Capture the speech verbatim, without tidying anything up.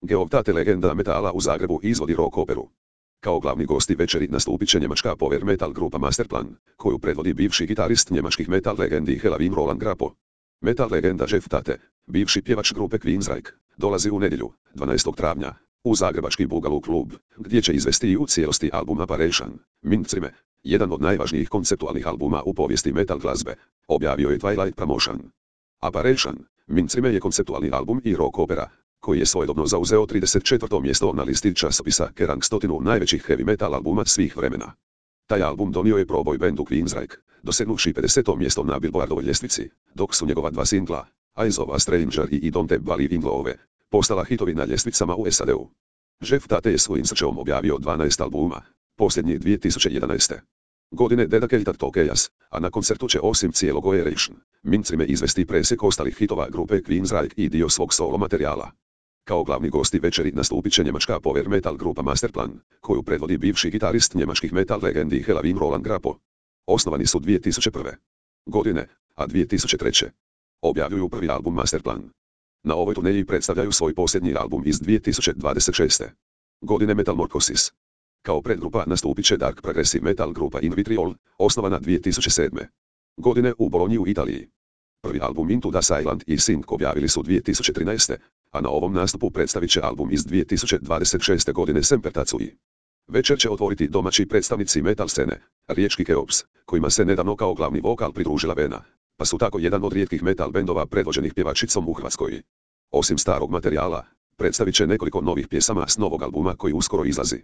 Geovtate legenda metala u Zagrebu izvodi rock operu. Kao glavni gosti večeri nastupit će njemačka power metal grupa Masterplan, koju predvodi bivši gitarist njemačkih metal legendi Helloween Roland Grapo. Metal legenda Jeff Tate, bivši pjevač grupe Queensryche, dolazi u nedjelju, dvanaestog travnja, u zagrebački Boogaloo klub, gdje će izvesti i u cijelosti album Apparition, Mindzrime, jedan od najvažnijih konceptualnih albuma u povijesti metal glazbe, objavio je Twilight Promotion. Apparition, Mindzrime je konceptualni album i rock opera, koji je svojedobno zauzeo trideset četvrto mjesto na listi časopisa Kerrang stotinu najvećih heavy metal albuma svih vremena. Taj album donio je proboj bendu Queensryche, dosegnuvši pedeseto mjesto na Billboardovoj ljestvici, dok su njegova dva singla, Eyes of a Stranger i Don't Believe in Love, postala hitovi na ljestvicama u S A D-u. Jeff Tate je svojim srčevom objavio dvanaest albuma, posljednji dvije tisuće jedanaeste. godine Dedicated to Chaos, a na koncertu će osim cijelog Operation, Mindzrime izvesti presjek ostalih hitova grupe Queensryche i dio svog solo materijala. Kao glavni gosti večeri nastupit će njemačka power metal grupa Masterplan, koju predvodi bivši gitarist njemačkih metal legendi Helloween Roland Grapo. Osnovani su dvije tisuće prve. godine, a dvije tisuće treće. objavljuju prvi album Masterplan. Na ovoj turneji predstavljaju svoj posljednji album iz dvije tisuće dvadeset šeste. godine Metamorphosis. Kao predgrupa nastupit će dark progressive metal grupa In Vitriol, osnovana dvije tisuće sedme. godine u Bolonji u Italiji. Prvi album Into the Silent i Sync objavili su dvije tisuće trinaeste, a na ovom nastupu predstavit će album iz dvije tisuće dvadeset šeste. godine Semper Tatsui. Večer će otvoriti domaći predstavnici metal scene, riječki Keops, kojima se nedavno kao glavni vokal pridružila Vena, pa su tako jedan od rijetkih metal bendova predvođenih pjevačicom u Hrvatskoj. Osim starog materijala, predstavit će nekoliko novih pjesama s novog albuma koji uskoro izlazi.